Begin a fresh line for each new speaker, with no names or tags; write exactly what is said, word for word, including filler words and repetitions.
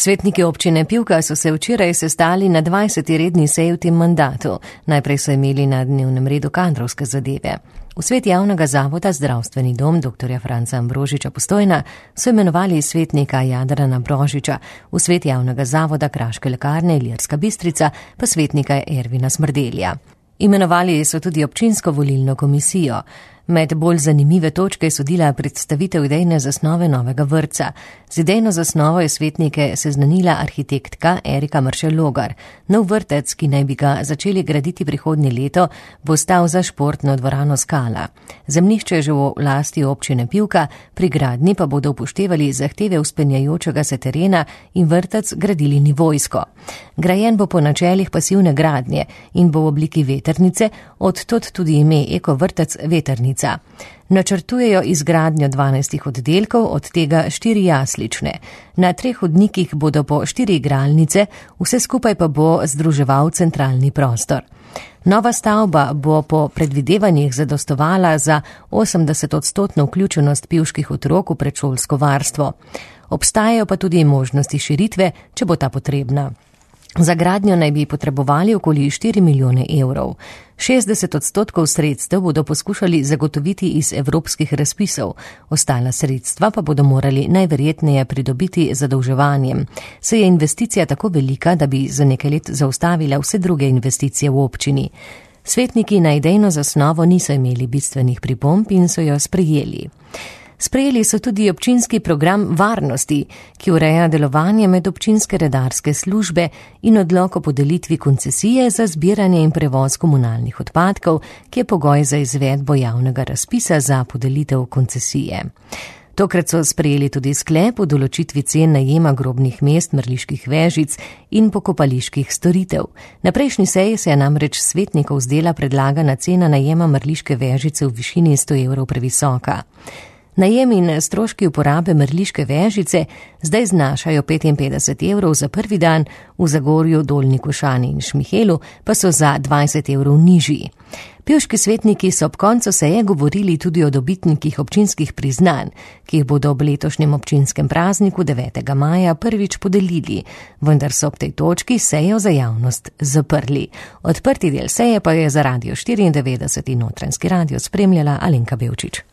Svetniki občine Pivka so se včeraj sestali na dvajseti redni seji v tem mandatu. Najprej so imeli na dnevnem redu kadrovske zadeve. V svet javnega zavoda Zdravstveni dom dr. Franca Ambrožiča Postojna so imenovali svetnika Jadrana Brožiča, v svet javnega zavoda Kraške lekarne Ilirska Bistrica pa svetnika Ervina Smrdelja. Imenovali so tudi občinsko volilno komisijo. Med bolj zanimive točke je sodila predstavitev idejne zasnove novega vrtca. Z idejno zasnovo je svetnike seznanila arhitektka Erika Mršel-Logar. Nov vrtec, ki naj bi ga začeli graditi prihodnje leto, bo stal za športno dvorano Skala. Zemljišče je že v lasti občine Pivka, pri gradnji pa bodo upoštevali zahteve vzpenjajočega se terena in vrtec gradili nivojsko. Grajen bo po načelih pasivne gradnje in bo v obliki vetrnice, od tod tudi ime Eko vrtec Vetrnica. Načrtujejo izgradnjo dvanajstih oddelkov, od tega štiri jaslične. Na treh hodnikih bodo po štiri igralnice, vse skupaj pa bo združeval centralni prostor. Nova stavba bo po predvidevanjih zadostovala za osemdeset odstotno vključenost pivških otrok v predšolsko varstvo. Obstajajo pa tudi možnosti širitve, če bo ta potrebna. Za gradnjo naj bi potrebovali okoli štiri milijone evrov. šestdeset odstotkov sredstev bodo poskušali zagotoviti iz evropskih razpisov, ostala sredstva pa bodo morali najverjetneje pridobiti zadolževanjem. Se je investicija tako velika, da bi za nekaj let zaustavila vse druge investicije v občini. Svetniki na idejno zasnovo niso imeli bistvenih pripomb in so jo sprejeli. Sprejeli so tudi občinski program varnosti, ki ureja delovanje med občinske redarske službe in odlok o podelitvi koncesije za zbiranje in prevoz komunalnih odpadkov, ki je pogoj za izvedbo javnega razpisa za podelitev koncesije. Tokrat so sprejeli tudi sklep o določitvi cen najema grobnih mest, mrliških vežic in pokopaliških storitev. Na prejšnji seji se je namreč svetnikov zdela predlagana cena najema mrliške vežice v višini sto evrov previsoka. Najem in stroški uporabe mrliške vežice zdaj znašajo petinpetdeset evrov za prvi dan, v Zagorju, Dolnji Košani in Šmihelu pa so za dvajset evrov nižji. Pivški svetniki so ob koncu seje govorili tudi o dobitnikih občinskih priznanj, ki jih bodo ob letošnjem občinskem prazniku devetega maja prvič podelili, vendar so ob tej točki sejo za javnost zaprli. Odprti del seje pa je za Radio štiriindevetdeset in Notranjski radio spremljala Alenka Bevčič.